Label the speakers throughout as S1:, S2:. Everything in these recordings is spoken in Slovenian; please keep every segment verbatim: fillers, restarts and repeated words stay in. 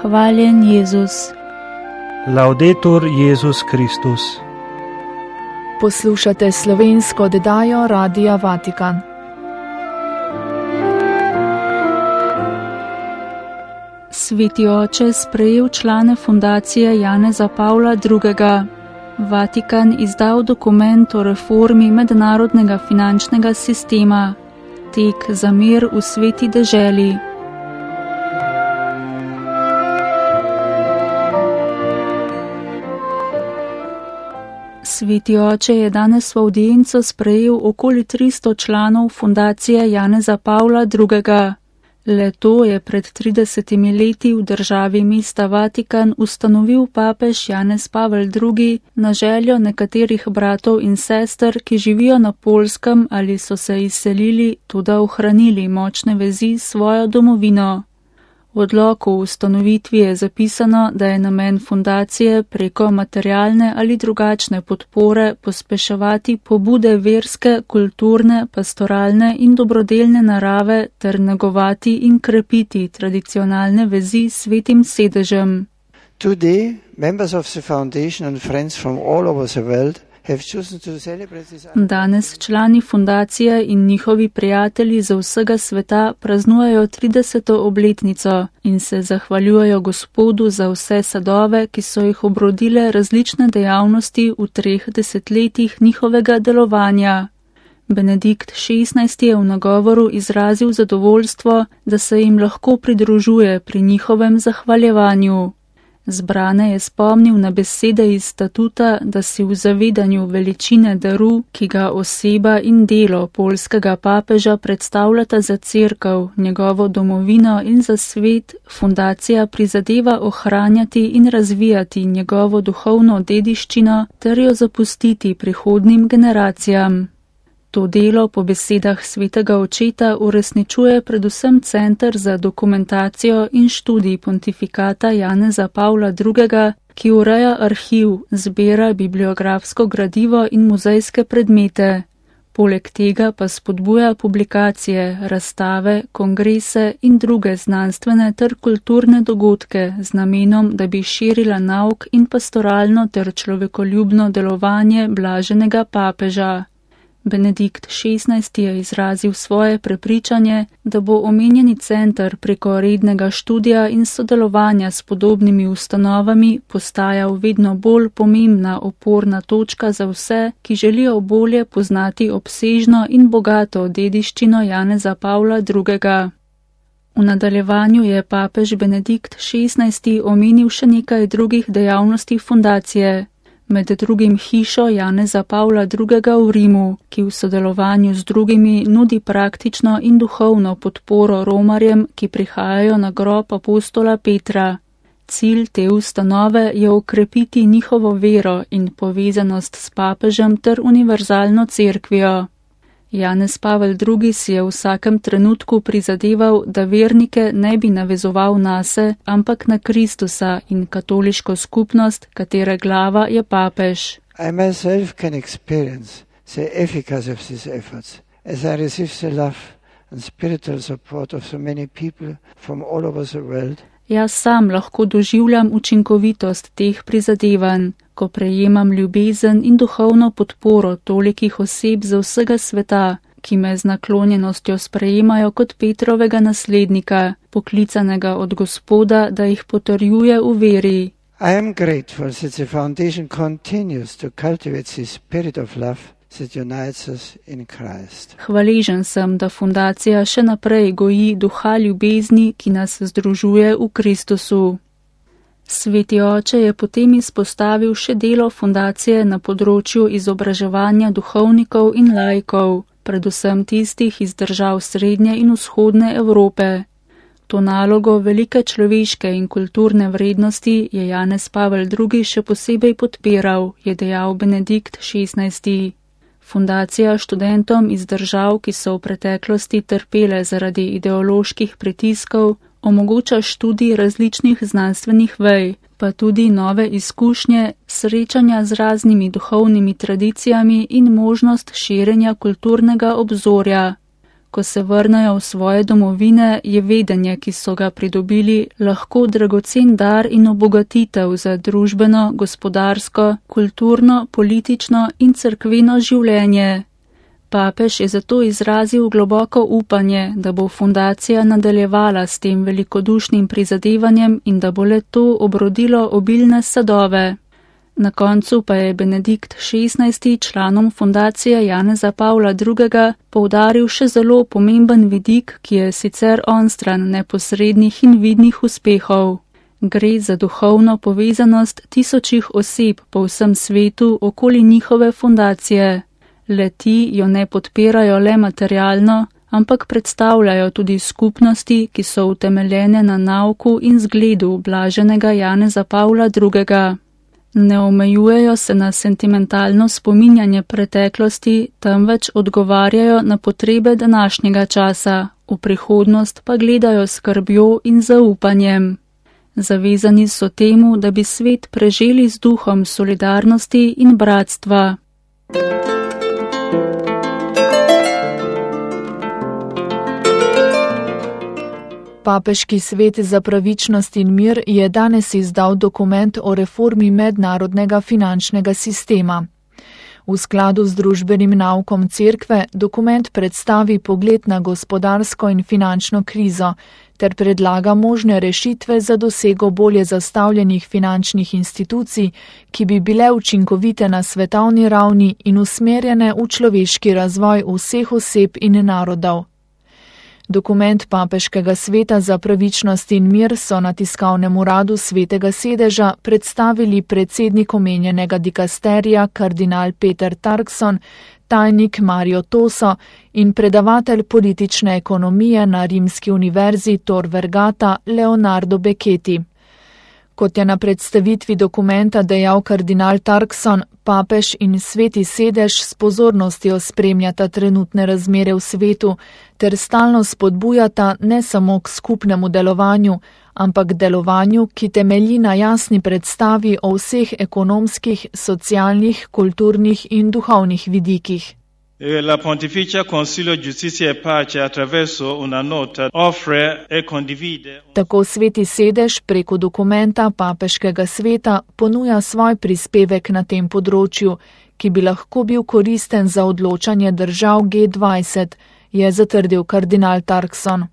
S1: Hvaljen Jezus.
S2: Laudetur Jezus Kristus.
S3: Poslušate slovensko oddajo Radia Vatikan.
S1: Sveti oče sprejel člane fundacije Janeza Pavla drugega. Vatikan izdal dokument o reformi mednarodnega finančnega sistema. Tek za mir v sveti deželi. Sveti oče je danes v avdienco sprejel okoli tristo članov fundacije Janeza Pavla drugega. Le to je pred tridesetimi leti v državi mesta Vatikan ustanovil papež Janez Pavel drugi na željo nekaterih bratov in sester, ki živijo na Poljskem ali so se izselili, toda ohranili močne vezi s svojo domovino. V odloku o ustanovitvi je zapisano, da je namen fundacije preko materialne ali drugačne podpore pospeševati pobude verske, kulturne, pastoralne in dobrodelne narave ter negovati in krepiti tradicionalne vezi s svetim sedežem.
S4: Today, members of the foundation and friends from all over the world
S1: Danes člani fundacije in njihovi prijatelji za vsega sveta praznujejo trideseto obletnico in se zahvaljujejo Gospodu za vse sadove, ki so jih obrodile različne dejavnosti v treh desetletjih njihovega delovanja. Benedikt šestnajsti je v nagovoru izrazil zadovoljstvo, da se jim lahko pridružuje pri njihovem zahvaljevanju. Zbrane je spomnil na besede iz statuta, da si v zavedanju veličine daru, ki ga oseba in delo poljskega papeža predstavljata za cerkev, njegovo domovino in za svet, fundacija prizadeva ohranjati in razvijati njegovo duhovno dediščino ter jo zapustiti prihodnim generacijam. To delo po besedah svetega očeta uresničuje predvsem Center za dokumentacijo in študij pontifikata Janeza Pavla drugega, ki ureja arhiv, zbira bibliografsko gradivo in muzejske predmete. Poleg tega pa spodbuja publikacije, razstave, kongrese in druge znanstvene ter kulturne dogodke z namenom, da bi širila nauk in pastoralno ter človekoljubno delovanje blaženega papeža. Benedikt šestnajsti je izrazil svoje prepričanje, da bo omenjeni center preko rednega študija in sodelovanja s podobnimi ustanovami postajal vedno bolj pomembna oporna točka za vse, ki želijo bolje poznati obsežno in bogato dediščino Janeza Pavla drugega. V nadaljevanju je papež Benedikt šestnajsti omenil še nekaj drugih dejavnosti fundacije. Med drugim hišo Janeza Pavla drugega v Rimu, ki v sodelovanju z drugimi nudi praktično in duhovno podporo romarjem, ki prihajajo na grob apostola Petra. Cilj te ustanove je okrepiti njihovo vero in povezanost s papežem ter univerzalno cerkvijo. Janez Pavel drugi si je v vsakem trenutku prizadeval, da vernike ne bi navezoval nase, ampak na Kristusa in katoliško skupnost, katere glava je papež.
S4: I myself can experience the efficacy of these efforts, as I receive the love and spiritual support of so many people from all over the world.
S1: Jaz sam lahko doživljam učinkovitost teh prizadevanj, ko prejemam ljubezen in duhovno podporo tolikih oseb za vsega sveta, ki me z naklonjenostjo sprejemajo kot Petrovega naslednika, poklicanega od Gospoda, da jih potrjuje v veri.
S4: I am grateful that the foundation continues to cultivate the spirit of love that unites us in Christ.
S1: Hvaležen sem, da fundacija še naprej goji duha ljubezni, ki nas združuje v Kristusu. Sveti oče je potem izpostavil še delo fundacije na področju izobraževanja duhovnikov in laikov, predvsem tistih iz držav srednje in vzhodne Evrope. To nalogo velike človeške in kulturne vrednosti je Janez Pavel drugi še posebej podpiral, je dejal Benedikt šestnajsti. Fundacija študentom iz držav, ki so v preteklosti trpele zaradi ideoloških pritiskov, omogoča študij različnih znanstvenih vej, pa tudi nove izkušnje, srečanja z raznimi duhovnimi tradicijami in možnost širjenja kulturnega obzorja. ko se vrnejo v svoje domovine, je vedenje, ki so ga pridobili, lahko dragocen dar in obogatitev za družbeno, gospodarsko, kulturno, politično in cerkveno življenje. Papež je zato izrazil globoko upanje, da bo fundacija nadaljevala s tem velikodušnim prizadevanjem in da bo le to obrodilo obilne sadove. Na koncu pa je Benedikt šestnajsti članom fundacije Janeza Pavla drugega poudaril še zelo pomemben vidik, ki je sicer onstran neposrednih in vidnih uspehov. Gre za duhovno povezanost tisočih oseb po vsem svetu okoli njihove fundacije. Le-ti jo ne podpirajo le materialno, ampak predstavljajo tudi skupnosti, ki so utemeljene na nauku in zgledu blaženega Janeza Pavla drugega. Ne omejujejo se na sentimentalno spominjanje preteklosti, temveč odgovarjajo na potrebe današnjega časa, v prihodnost pa gledajo s skrbjo in zaupanjem. Zavezani so temu, da bi svet preželi z duhom solidarnosti in bratstva.
S3: Papeški svet za pravičnost in mir je danes izdal dokument o reformi mednarodnega finančnega sistema. V skladu z družbenim naukom cerkve dokument predstavi pogled na gospodarsko in finančno krizo ter predlaga možne rešitve za dosego bolje zastavljenih finančnih institucij, ki bi bile učinkovite na svetovni ravni in usmerjene v človeški razvoj vseh oseb in narodov. Dokument Papeškega sveta za pravičnost in mir so na tiskovnem uradu Svetega sedeža predstavili predsednik omenjenega dikasterija kardinal Peter Turkson, tajnik Mario Toso in predavatelj politične ekonomije na Rimski univerzi Tor Vergata Leonardo Becchetti. Kot je na predstavitvi dokumenta dejal kardinal Turkson, papež in Sveti sedež s pozornostjo spremljata trenutne razmere v svetu ter stalno spodbujata ne samo k skupnemu delovanju, ampak delovanju, ki temelji na jasni predstavi o vseh ekonomskih, socialnih, kulturnih in duhovnih vidikih.
S5: La Pontificia Consilio Giustizia e Pace attraverso una nota offre e condivide.
S3: Tako Sveti sedež preko dokumenta Papeškega sveta ponuja svoj prispevek na tem področju, ki bi lahko bil koristen za odločanje držav G dvajset, je zatrdil kardinal Turkson.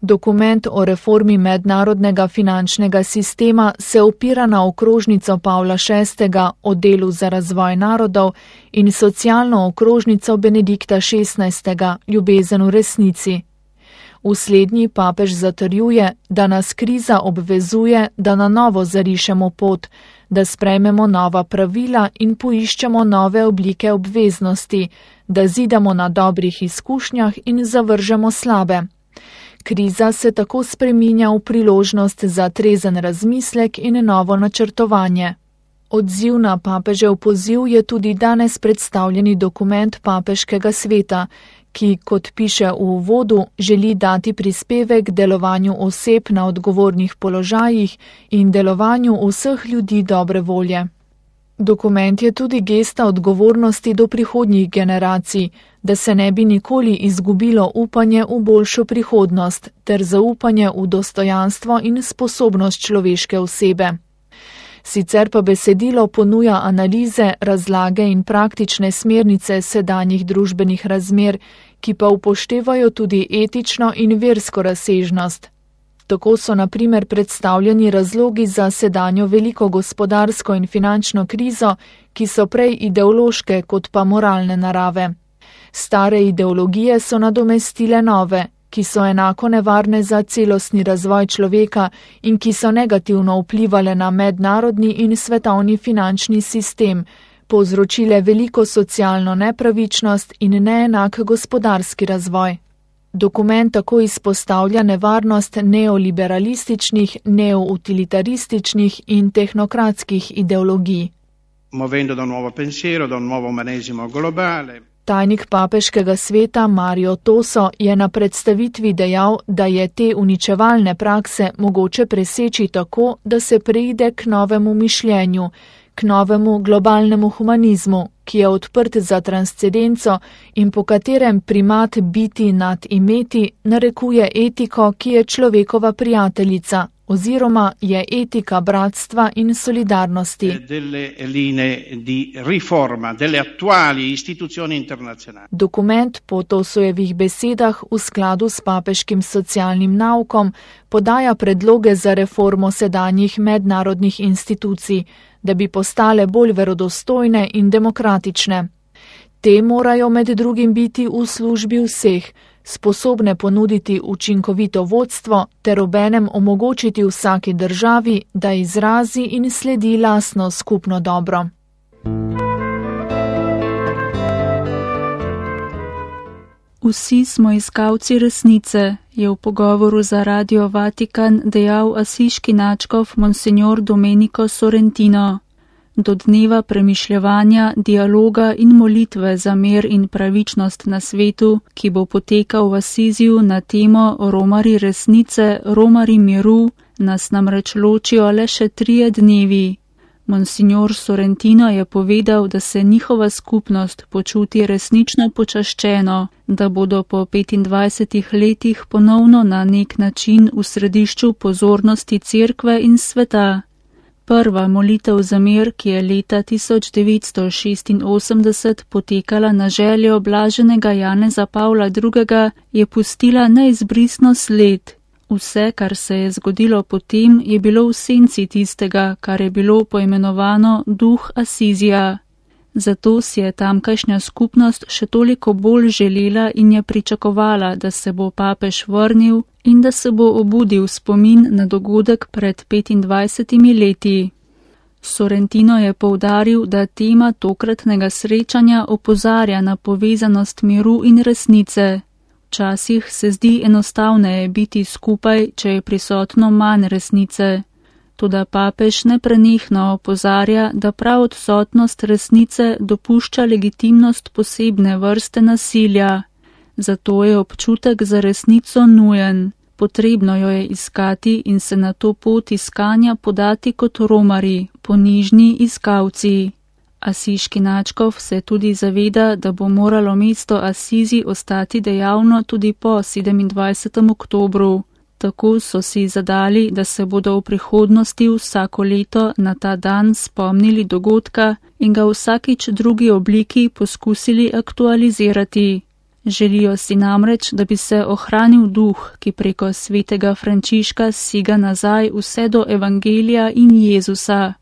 S3: Dokument o reformi mednarodnega finančnega sistema se opira na okrožnico Pavla šestega o delu za razvoj narodov in socialno okrožnico Benedikta šestnajstega ljubezen v resnici. V slednji papež zatrjuje, da nas kriza obvezuje, da na novo zarišemo pot, da sprejmemo nova pravila in poiščemo nove oblike obveznosti, da zidamo na dobrih izkušnjah in zavržemo slabe. Kriza se tako spreminja v priložnost za trezen razmislek in novo načrtovanje. Odziv na papežev poziv je tudi danes predstavljeni dokument Papeškega sveta, ki, kot piše v uvodu, želi dati prispevek delovanju oseb na odgovornih položajih in delovanju vseh ljudi dobre volje. Dokument je tudi gesta odgovornosti do prihodnjih generacij, da se ne bi nikoli izgubilo upanje v boljšo prihodnost ter zaupanje v dostojanstvo in sposobnost človeške osebe. Sicer pa besedilo ponuja analize, razlage in praktične smernice sedanjih družbenih razmer, ki pa upoštevajo tudi etično in versko razsežnost. Tako so na primer predstavljeni razlogi za sedanjo veliko gospodarsko in finančno krizo, ki so prej ideološke kot pa moralne narave. Stare ideologije so nadomestile nove, ki so enako nevarne za celostni razvoj človeka in ki so negativno vplivale na mednarodni in svetovni finančni sistem, povzročile veliko socialno nepravičnost in neenak gospodarski razvoj. Dokument tako izpostavlja nevarnost neoliberalističnih, neoutilitarističnih in tehnokratskih ideologij.
S6: Movendo da un nuovo pensiero, da un nuovo umanesimo globale.
S3: Tajnik Papeškega sveta Mario Toso je na predstavitvi dejal, da je te uničevalne prakse mogoče preseči tako, da se preide k novemu mišljenju, k novemu globalnemu humanizmu, ki je odprt za transcendenco in po katerem primat biti nad imeti narekuje etiko, ki je človekova prijateljica, oziroma je etika bratstva in solidarnosti.
S6: Delle linee di riforma delle attuali istituzioni internazionali.
S3: Dokument po Tosojevih besedah v skladu s papeškim socialnim naukom podaja predloge za reformo sedanjih mednarodnih institucij, da bi postale bolj verodostojne in demokratične. Te morajo med drugim biti v službi vseh, sposobne ponuditi učinkovito vodstvo ter obenem omogočiti vsaki državi, da izrazi in sledi lastno skupno dobro.
S1: Vsi smo iskalci resnice, je v pogovoru za Radio Vatikan dejal asiški nadškof Monsignor Domenico Sorrentino. Do dneva premišljevanja, dialoga in molitve za mir in pravičnost na svetu, ki bo potekal v Asiziju na temo Romari resnice, Romari miru, nas namreč ločijo le še trije dnevi. Monsignor Sorrentino je povedal, da se njihova skupnost počuti resnično počaščeno, da bodo po petindvajsetih letih ponovno na nek način v središču pozornosti cerkve in sveta. Prva molitev za mir, ki je leta tisoč devetsto šestinosemdeset potekala na željo blaženega Janeza Pavla drugega, je pustila neizbrisno sled. Vse, kar se je zgodilo potem, je bilo v senci tistega, kar je bilo poimenovano duh Asizija. Zato si je tamkajšnja skupnost še toliko bolj želela in je pričakovala, da se bo papež vrnil in da se bo obudil spomin na dogodek pred petindvajsetimi leti. Sorrentino je poudaril, da tema tokratnega srečanja opozarja na povezanost miru in resnice. Včasih se zdi enostavneje biti skupaj, če je prisotno manj resnice. Toda papež neprenehno opozarja, da prav odsotnost resnice dopušča legitimnost posebne vrste nasilja. Zato je občutek za resnico nujen. Potrebno jo je iskati in se na to pot iskanja podati kot romari, ponižni iskalci. Asiški nadškof se tudi zaveda, da bo moralo mesto Asizi ostati dejavno tudi po sedemindvajsetem oktobru. Tako so si zadali, da se bodo v prihodnosti vsako leto na ta dan spomnili dogodka in ga vsakič drugi obliki poskusili aktualizirati. Želijo si namreč, da bi se ohranil duh, ki preko svetega Frančiška siga nazaj vse do Evangelija in Jezusa.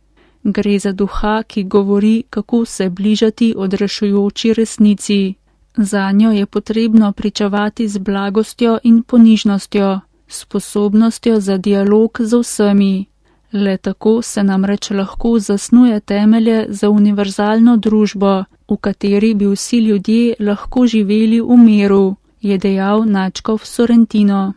S1: Gre za duha, ki govori, kako se bližati odrešujoči resnici. Zanjo je potrebno pričavati z blagostjo in ponižnostjo, sposobnostjo za dialog z vsemi. Le tako se namreč lahko zasnuje temelje za univerzalno družbo, v kateri bi vsi ljudje lahko živeli v miru, je dejal nadškof Sorrentino.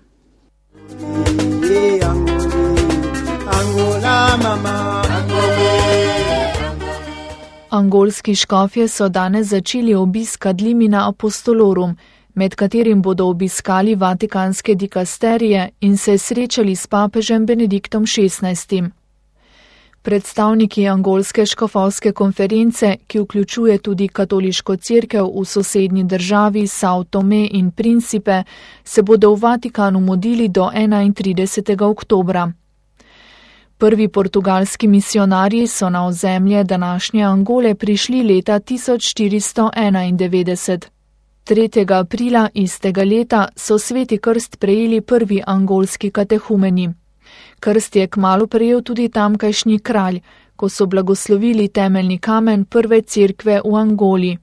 S3: Angolski škofje so danes začeli obisk ad limina apostolorum, med katerim bodo obiskali vatikanske dikasterije in se srečali s papežem Benediktom šestnajstim. Predstavniki angolske škofovske konference, ki vključuje tudi katoliško cerkev v sosednji državi São Tomé in Príncipe, se bodo v Vatikanu mudili do enaintridesetega oktobra. Prvi portugalski misionarji so na ozemlje današnje Angole prišli leta tisoč štiristo enaindevetdeset. tretjega aprila istega leta so sveti krst prejeli prvi angolski katehumeni. Krst je kmalu prejel tudi tamkajšnji kralj, ko so blagoslovili temeljni kamen prve cerkve v Angoli.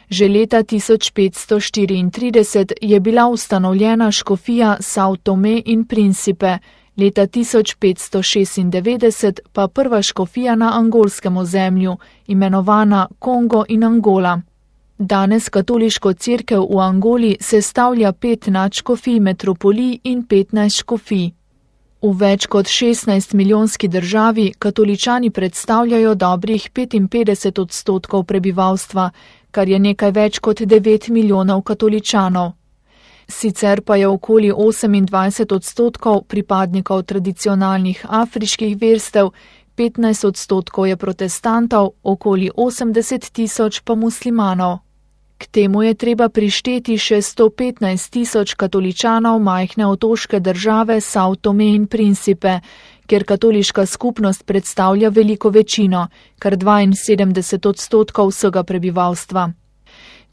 S3: Že leta tisoč petsto štiriintrideset je bila ustanovljena škofija São Tomé in Príncipe, leta tisoč petsto šestindevetdeset pa prva škofija na angolskem ozemlju, imenovana Kongo in Angola. Danes katoliško cerkev v Angoli sestavlja pet nadškofij metropolij in petnajst škofij. V več kot šestnajst milijonski državi katoličani predstavljajo dobrih petinpetdeset odstotkov prebivalstva, kar je nekaj več kot devet milijonov katoličanov. Sicer pa je okoli osemindvajset odstotkov pripadnikov tradicionalnih afriških verstev, petnajst odstotkov je protestantov, okoli osemdeset tisoč pa muslimanov. K temu je treba prišteti še sto petnajst tisoč katoličanov majhne otoške države Sao Tome in Principe, kjer katoliška skupnost predstavlja veliko večino, kar dvainsedemdeset odstotkov vsega prebivalstva.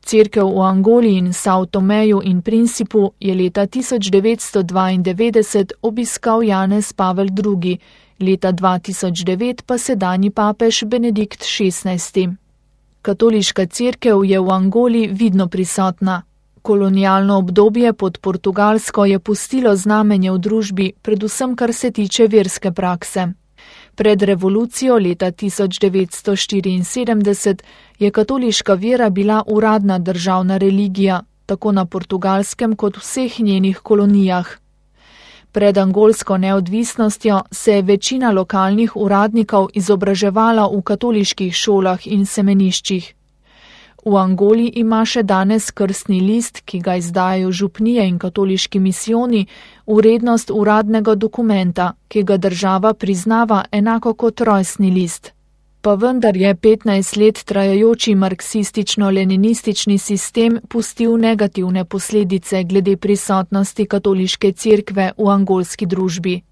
S3: Cerkev v Angoli in Sao Tomeju in Principu je leta tisoč devetsto dvaindevetdeset obiskal Janez Pavel drugi, leta dva tisoč devet pa sedanji papež Benedikt šestnajsti. Katoliška cerkev je v Angoli vidno prisotna. Kolonialno obdobje pod Portugalsko je pustilo znamenje v družbi, predvsem kar se tiče verske prakse. Pred revolucijo leta tisoč devetsto štiriinsedemdeset je katoliška vera bila uradna državna religija, tako na Portugalskem kot vseh njenih kolonijah. Pred angolsko neodvisnostjo se je večina lokalnih uradnikov izobraževala v katoliških šolah in semeniščih. V Angoli ima še danes krstni list, ki ga izdajajo župnije in katoliški misijoni, vrednost uradnega dokumenta, ki ga država priznava enako kot rojstni list. Pa vendar je petnajst let trajajoči marksistično-leninistični sistem pustil negativne posledice glede prisotnosti katoliške cerkve v angolski družbi.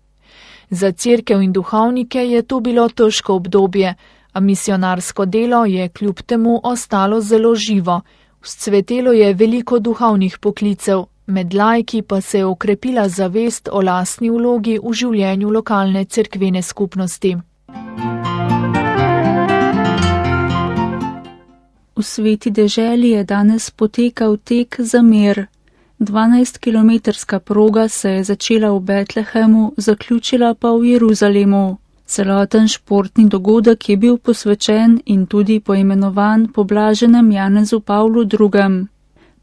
S3: Za cerkev in duhovnike je to bilo težko obdobje, a misionarsko delo je kljub temu ostalo zelo živo. Vzcvetelo je veliko duhovnih poklicev, med laiki pa se je okrepila zavest o lastni vlogi v življenju lokalne cerkvene skupnosti.
S1: V Sveti deželi je danes potekal tek za mir. dvanajstkilometrska proga se je začela v Betlehemu, zaključila pa v Jeruzalemu. Celoten športni dogodek je bil posvečen in tudi poimenovan po blaženem Janezu Pavlu drugem.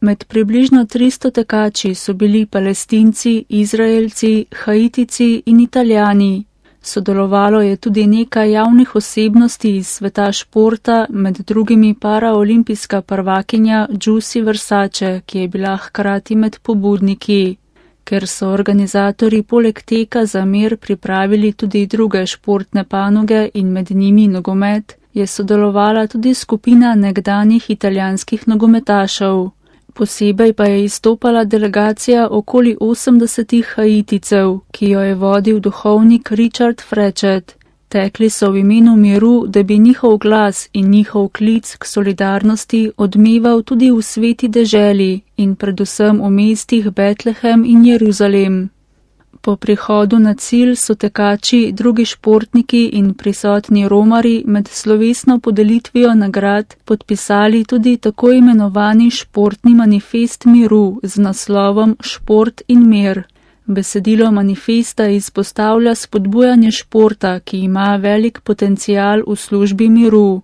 S1: Med približno tristo tekači so bili Palestinci, Izraelci, Haitici in Italijani. Sodelovalo je tudi nekaj javnih osebnosti iz sveta športa, med drugimi paraolimpijska prvakinja Giussi Versace, ki je bila hkrati med pobudniki. Ker so organizatorji poleg teka za mir pripravili tudi druge športne panoge in med njimi nogomet, je sodelovala tudi skupina nekdanjih italijanskih nogometašev. Posebej pa je izstopala delegacija okoli osemdesetih Haiticev, ki jo je vodil duhovnik Richard Frechet. Tekli so v imenu miru, da bi njihov glas in njihov klic k solidarnosti odmeval tudi v sveti deželi in predvsem v mestih Betlehem in Jeruzalem. Po prihodu na cilj so tekači, drugi športniki in prisotni romari med slovesno podelitvijo nagrad podpisali tudi tako imenovani športni manifest miru z naslovom Šport in mir. Besedilo manifesta izpostavlja spodbujanje športa, ki ima velik potencial v službi miru.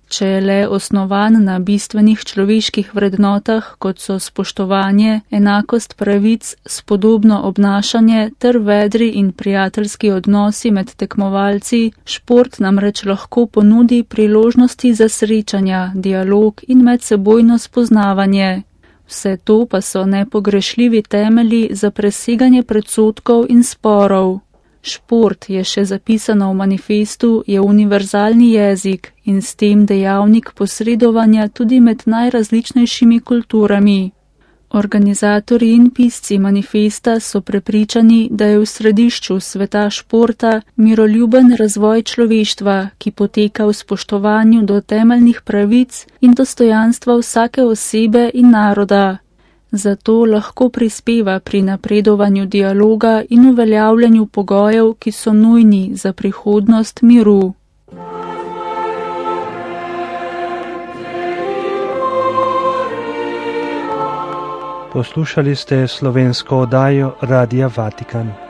S1: Če je le osnovan na bistvenih človeških vrednotah, kot so spoštovanje, enakost pravic, spodobno obnašanje ter vedri in prijateljski odnosi med tekmovalci, šport namreč lahko ponudi priložnosti za srečanja, dialog in medsebojno spoznavanje. Vse to pa so nepogrešljivi temelji za preseganje predsodkov in sporov. Šport, je še zapisano v manifestu, je univerzalni jezik in s tem dejavnik posredovanja tudi med najrazličnejšimi kulturami. Organizatorji in pisci manifesta so prepričani, da je v središču sveta športa miroljuben razvoj človeštva, ki poteka v spoštovanju do temeljnih pravic in dostojanstva vsake osebe in naroda. Zato lahko prispeva pri napredovanju dialoga in uveljavljanju pogojev, ki so nujni za prihodnost miru.
S2: Poslušali ste slovensko oddajo Radia Vatikan.